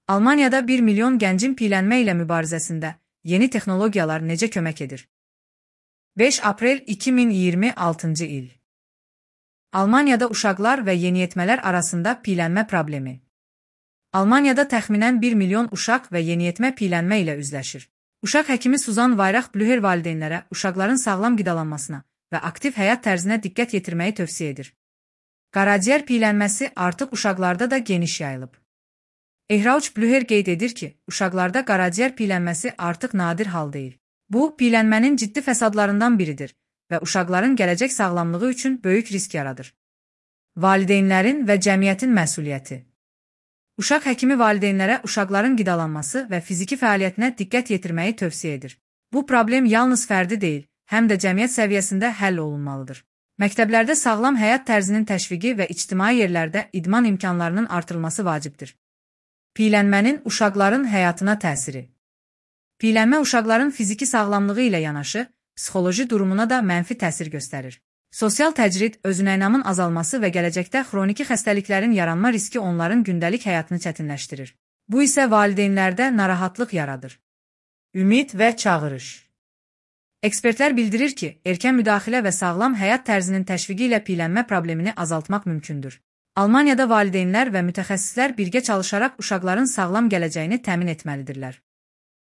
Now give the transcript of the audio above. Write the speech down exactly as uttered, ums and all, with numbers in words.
Almaniyada bir milyon gəncin piyələnmə ilə mübarizəsində yeni texnologiyalar necə kömək edir? beş aprel iki min iyirmi altıncı il. Almaniyada uşaqlar və yeniyetmələr arasında piyələnmə problemi. Almaniyada təxminən bir milyon uşaq və yeniyetmə piyələnmə ilə üzləşir. Uşaq həkimi Suzan Vayrach-Blüher valideynlərə uşaqların sağlam qidalanmasına və aktiv həyat tərzinə diqqət yetirməyi tövsiyə edir. Qaraciyər piyələnməsi artıq uşaqlarda da geniş yayılıb. Ehrauch Blüher qeyd edir ki, uşaqlarda qaraciyər piyələnməsi artıq nadir hal deyil. Bu, piyələnmənin ciddi fəsadlarından biridir və uşaqların gələcək sağlamlığı üçün böyük risk yaradır. Valideynlərin və cəmiyyətin məsuliyyəti. Uşaq həkimi valideynlərə uşaqların qidalanması və fiziki fəaliyyətinə diqqət yetirməyi tövsiyə edir. Bu problem yalnız fərdi deyil, həm də cəmiyyət səviyyəsində həll olunmalıdır. Məktəblərdə sağlam həyat tərzinin təşviqi və ictimai yerlərdə idman imkanlarının artırılması vacibdir. Piyələnmənin uşaqların həyatına təsiri. Piyələnmə uşaqların fiziki sağlamlığı ilə yanaşı, psixoloji durumuna da mənfi təsir göstərir. Sosial təcrid, özünəynamın azalması və gələcəkdə xroniki xəstəliklərin yaranma riski onların gündəlik həyatını çətinləşdirir. Bu isə valideynlərdə narahatlıq yaradır. Ümid və çağırış. Ekspertlər bildirir ki, erkən müdaxilə və sağlam həyat tərzinin təşviqi ilə piyələnmə problemini azaltmaq mümkündür. Almaniyada valideynlər və mütəxəssislər birgə çalışaraq uşaqların sağlam gələcəyini təmin etməlidirlər.